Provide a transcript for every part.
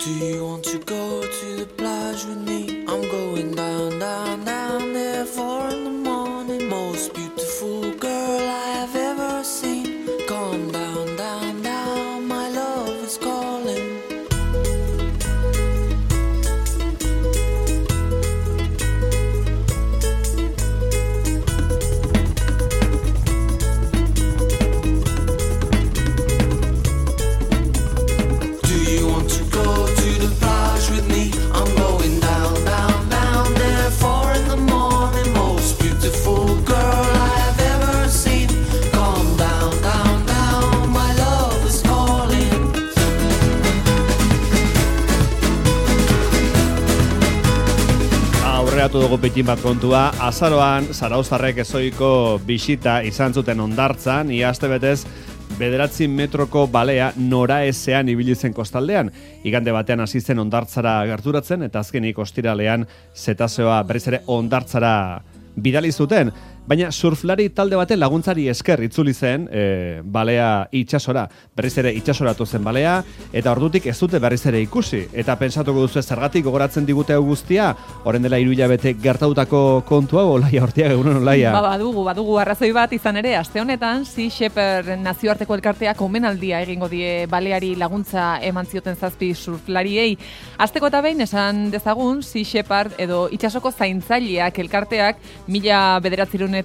Do you want to go to the plage with me? I'm going down, down, down there 4 in the morning. Most beautiful girl I have ever seen. Come down, down, down, my love is calling. With me, I'm going down, down, down there 4 in the morning. Most beautiful girl I have ever seen. Come down, down, down, my love is calling. Aurreatu dugu pitin bat kontua, azaroan zarauztarrek ezoiko bisita izan zuten Hondartzan, ia astebetez 9 metroko balea noraezean ibili zen kostaldean. Igande batean hasi zen Hondartzara gerturatzen eta azkenik ostiralean zetazeoa berriz ere Hondartzara bidali zuten. Baina surflari talde baten laguntzari esker itzuli zen balea itsasora. Berriz ere itsasoratu zen balea eta ordutik ez dute berriz ere ikusi. Eta pentsatuko duzu zergatik gogoratzen digute hau guztia, orain dela 3 hilabete gertatutako kontu hau, Olaia Ortiaga, egunon Olaia. Badugu arrazoi bat izan ere, aste honetan Sea Shepherd nazioarteko elkarteak omenaldia egingo die baleari laguntza eman zioten 7 surflariei. Asteko eta behin esan dezagun Sea Shepherd edo itsasoko zaintzaileak elkarteak 1977an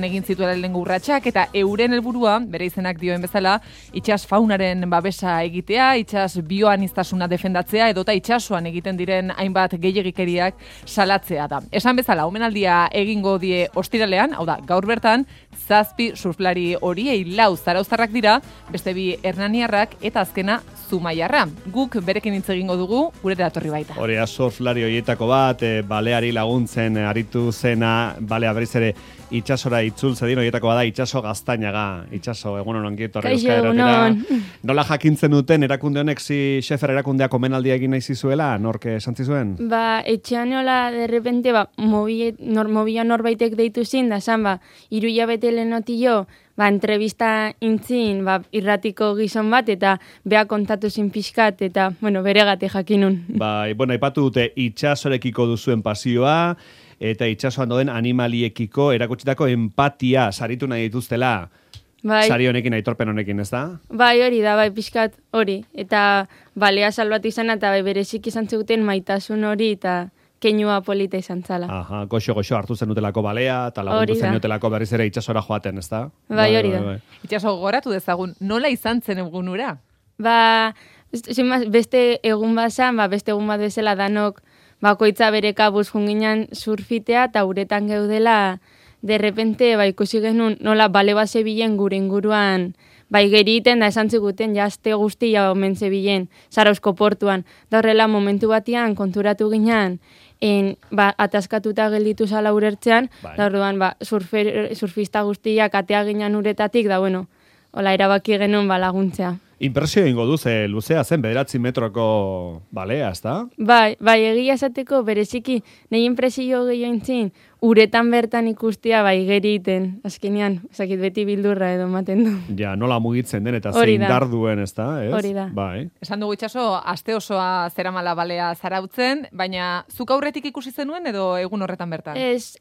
egin zituela lehenengo urratsak eta euren helburua, bere izenak dioen bezala, itsas faunaren babesa egitea, itsas bioaniztasuna defendatzea edota itsasoan egiten diren hainbat gehiegikeriak salatzea da. Esan bezala, omenaldia egingo die ostiralean, hau da, gaur bertan, 7 surflari horiei 4 zarauztarrak dira, beste 2 hernaniarrak eta azkena Zumaiarra. Guk berekin hitz egingo dugu, gure datorri baita. Hori surflari horietako bat, baleari laguntzen aritu zena, balea berriz ere itsasora itzultze din horietako bada Itsaso Gaztainaga. Itsaso, egunon ongieto horrezka eratera. Nola jakintzen duten erakunde honek Sea Shepherd erakundeak omenaldia egin nahi zizuela? Nork esan zizuen? Etxean hola, de repente, mobila norbaitek deitu zin, da zan, 3 hilabete lehenotillo, entrevista intzin, irratiko gizon bat, eta beha kontatu zin pixkat, eta, beregate jakinun. Aipatu dute itsasorekiko duzuen pasioa, eta itsasoan doen animaliekiko erakutsitako empatia saritu nahi dituztela. Sari honekin, aitorpen honekin, ez da? Hori da, pixkat hori. Eta balea salbatu izan, eta berezik izan zuten maitasun hori, eta keinua polita izan zala. Aha, goxo hartu zenutelako balea, eta lagundu zenutelako berriz ere itsasora joaten, ez da? Hori da. Itsaso goratu dezagun, nola izan zen egunura? Beste egun bazan, beste egun bat bezala danok, bakoitza bere kabuz junginan surfitea, eta uretan geudela, de repente, ikusi genuen, nola bale bat zebilen gure inguruan, geriten, da esan ziguten, jazte guztia omen zebilen, Zarauzko portuan. Da horrela, momentu batian, konturatu ginen, ataskatuta gelditu zala urertzean, da orduan, surfista guztiak atea ginen uretatik, da hola, erabaki genuen laguntzea. Inpresio ingo duz, luzea zen 9 metroko balea, ez da? Egia esateko, bereziki, nahi inpresio gehiago intzin, uretan bertan ikustea, geriten, azkenean, ezakit beti bildurra edo maten du. Ja, nola mugitzen den, eta zein dar duen, ez da? Hori da. Esan dugu Itsaso, aste osoa zeramala balea zarautzen, baina zuk aurretik ikusi zenuen edo egun horretan bertan? Ez,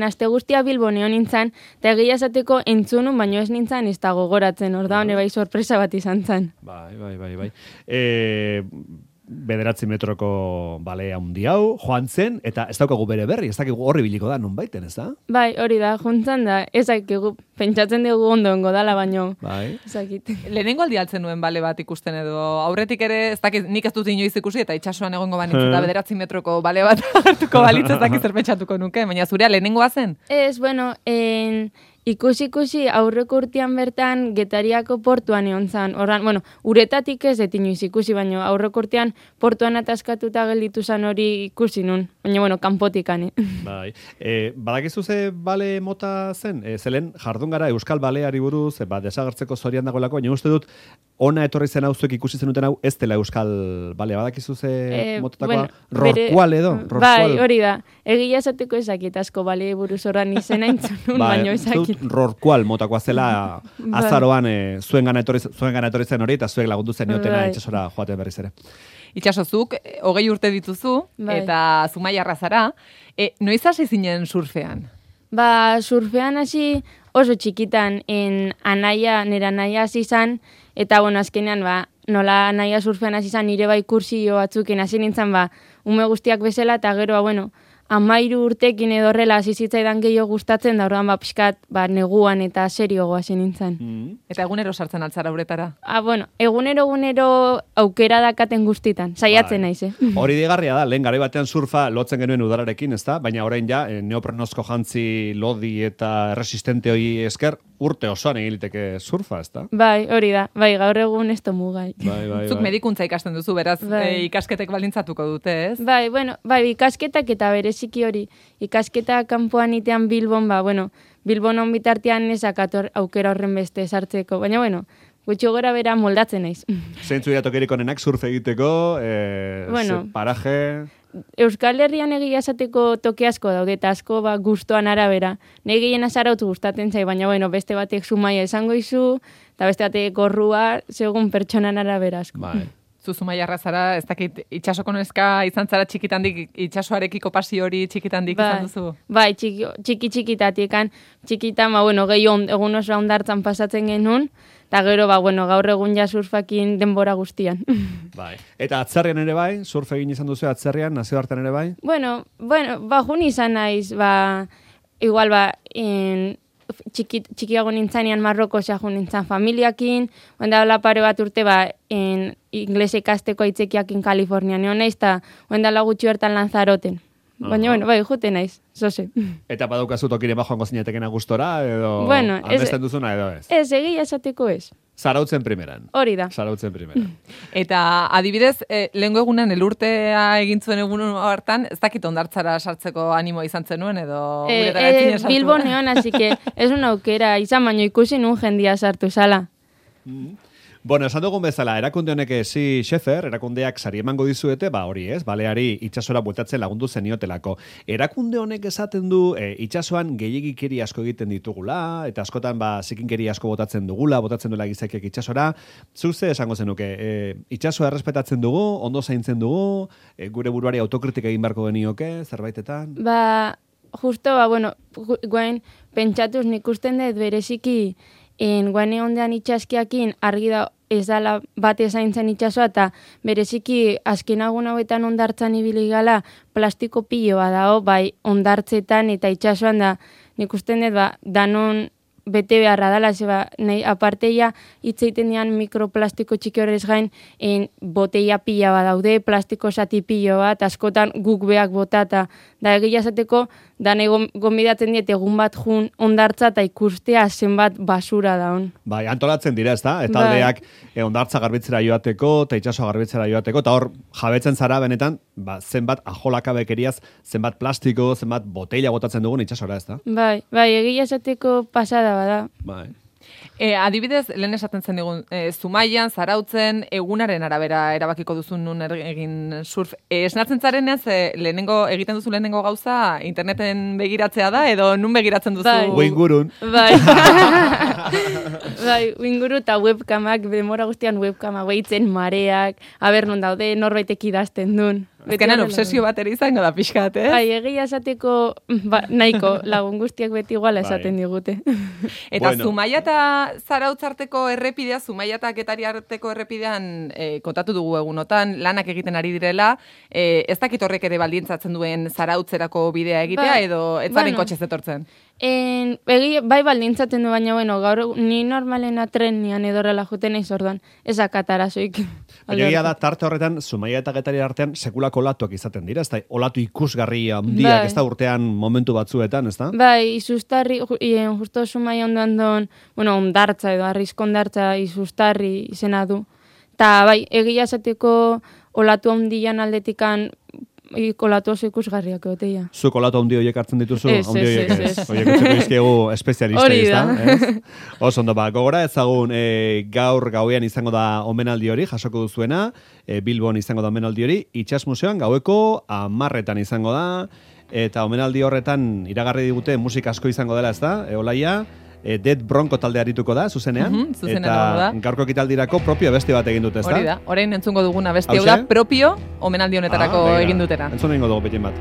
aste guztia Bilbon egon nintzen, eta egia esateko entzunun, baino ez nintzen, ez da gogoratzen, orda hone sorpresa bat izan zen. Bai. 9 metroko balea handi hau, joan zen, eta ez daukagu bere berri, ez dakigu horri biliko da, non baiten, ez da? Hori da, juntzan da, ez dakigu, pentsatzen dugu ondoengo dala, baino, ezakit. Lehenengo aldi altzen nuen bale bat ikusten edo, aurretik ere, ez dakit, nik ez dut inoiz ikusi, eta itsasoan egongo banitz, eta 9 metroko bale bat hartuko balitz, ez dakit zer pentsatuko nuke, baina zurea lehenengoa zen? Ez, ikusi aurreko urtean bertan Getariako portuan egon zan. Uretatik ez inoiz ikusi, baina aurreko urtean portuan ataskatuta gelditu zan hori ikusi nun. Baina, kanpotikan. Badakizu ze bale mota zen? Zelen jardun gara Euskal Baleari buruz, desagertzeko zorian dagoelako, baina uste dut ona etorri zen hau zuek ikusi zenuten hau, ez dela euskal balea, badakizu ze mototakoa? Bueno, rorkual edo? Bai, hori da. Egia esateko ezakit asko bale buruz horran izena intzunun, baino ezakit. Rorkual motakoa zela azaroan zuen gana etorri zen hori, eta zuek lagundu zen niotena itxasora joaten berriz ere. Itxasozuk, 20 urte dituzu, eta Zumaiarra zara. Noiz hasi zinen surfean? Surfean hasi oso txikitan, nera anaia hasi zan, eta azkenean, nola anaia surfean hasi zan, nire bai kursio batzuken hasi nintzen, ume guztiak bezala, eta gero, 13 urtekin edo horrela hasi zitzaidan gehiago gustatzen, da orduan pixkat, neguan eta seriogo hasi nintzen. Eta egunero sartzen altzara uretara? Egunero aukera dakaten guztitan, saiatzen naiz, Hori digarria da, lehen garai batean surfa lotzen genuen udararekin, ezta? Baina orain ja, neoprenozko jantzi lodi eta resistente hori esker, urte osoan egiliteke surfa, ezta? Bai, hori da, gaur egun ez tomu gai. Zuk medikuntza ikasten duzu, beraz, ikasketek balintzatuko dute, ez? Ikasketak eta bereziki hori, ikasketa kanpoan itean Bilbon, Bilbon bitartean ezak aukera horren beste sartzeko, baina, gutxi gora bera moldatzen naiz. Zeintzu dira tokirik onenak surf egiteko, paraje... Euskal Herrian egia esateko toke asko daude, eta asko gustoan arabera. Nei gehiena Zarautz gustatzen zai, baina beste batek Zumaia esango izu, eta beste batek Gorrua, segun pertsonan arabera asko. Zu Zumaiarra zara, ez dakit, itxasoko neska izan zara txikitandik, itxasoarekiko pasio hori txikitandik izan duzu? Bai, txikitatikan, txikitan, gehi egun oso ondartzan pasatzen genuen, eta gero, gaur egun ja surfakin denbora guztian. Eta atzerrian ere bai, surf egin izan duzu atzerrian, nazioartean ere bai? Jun izan naiz, igual, txikiago nintzanean Marroko jun nintzan familiakin, oendala pare bat urte, inglese ikasteko aitzekiakin Kalifornian egon naiz, eta oendala gutxi bertan Lanzaroten. Baina, juten naiz, zoze. Eta badaukazu tokire joango zinetekena gustora, edo aldesten duzuna, edo ez? Ez, egia esateko ez. Zarautzen primeran. Hori da. Zarautzen primeran. Eta adibidez, lehengo egunen elurtea egin zuen egun hartan, ez dakit ondartzara sartzeko animo izan zenuen, edo... Bilbon egon, así que ez una aukera, izan baino ikusi nun jendia sartu zala. Bueno, esan dugun bezala, erakunde honek Schäfer, erakundeak sari emango dizuete, hori ez, baleari itxasora bueltatzen lagundu zeniotelako. Erakunde honek esaten du, itxasoan gehiagikeri asko egiten ditugula, eta askotan zikinkeri asko botatzen duela gizakiak itxasora. Zuze esango zenuke, itxasoa errespetatzen dugu, ondo zaintzen dugu, gure buruari autokritika egin beharko genioke, zerbaitetan? Justo, guain, pentsatuz nik usten dut bereziki, guane ondean itxaskiakin argi da ez dala bate zaintzen itxasoa, eta bereziki azken agun hauetan ondartzan ibili gala plastiko piloa dao, ondartzetan eta itxasoan da, nik usten dut, danon bete beharra dala, nahi aparteia hitzeiten dian mikroplastiko txiki horrez gain, boteia pila bat daude, plastiko zati pilo bat, askotan guk beak botata, da egia esateko, da nahi gonbidatzen diet egun bat jun ondartza eta ikustea zenbat basura daun. Antolatzen dira, ez da? Eta aldeak ondartza garbitzera joateko, eta itxasoa garbitzera joateko, eta hor jabetzen zara benetan, zenbat ajolaka bekeriaz, zenbat plastiko, zenbat botella botatzen dugun itxasora, ez da? Egia esateko pasada bada. Adibidez, lehen esaten zen digun, Zumaian, Zarautzen, egunaren arabera erabakiko duzun nun egin surf. Esnatzen zarenean, egiten duzu lehenengo gauza, interneten begiratzea da, edo nun begiratzen duzu? Uingurun. Uinguru eta webkamak, demora guztian webkamak, behitzen mareak, aber non daude, norbaitek idazten duen. Ezkenan obsesio bat ere izango da pixkat, ez? Egia esateko nahiko lagun guztiak beti iguala esaten digute. Eta Zumaia eta Zarautz arteko errepidea, Zumaia eta Getari arteko errepidean kontatu dugu egunotan, lanak egiten ari direla, ez dakit horrek ere baldintzatzen duen Zarautzerako bidea egitea, edo ez zaren kotxez etortzen? Baldintzaten du, baina gaur ni normalena trenian edorrela juten eiz orduan, ezakatarazoik. Egia da, tarte horretan, Zumaia eta Getari artean sekulako olatuak izaten dira, ez da, olatu ikusgarria handiak, ez da, urtean momentu batzuetan, ez da? Izustarri, justo Zumaia ondoan ondartza edo, arrizko ondartza izustarri izena du. Ta egia esateko olatu handian aldetikan kolatu oso ikusgarriak egoteia. Zu kolatu handi horiek hartzen dituzu? Ez. Horiek utziko izkiegu espezialista, Hori da. Oso ondo, gogora ezagun gaur gauean izango da omenaldi hori, jasoko duzuena, Bilbon izango da omenaldi hori, Itsas Museoan gaueko 10:00 izango da, eta omenaldi horretan iragarri digute musika asko izango dela, ez da, Olaia? Dead Bronco talde arituko da, zuzenean. Eta gaurko ekitaldirako propio beste bat egin dute, ez da? Hori da, orain entzungo duguna beste hau da, propio omenaldi honetarako egin dutera. Entzun egingo dugu betin bat.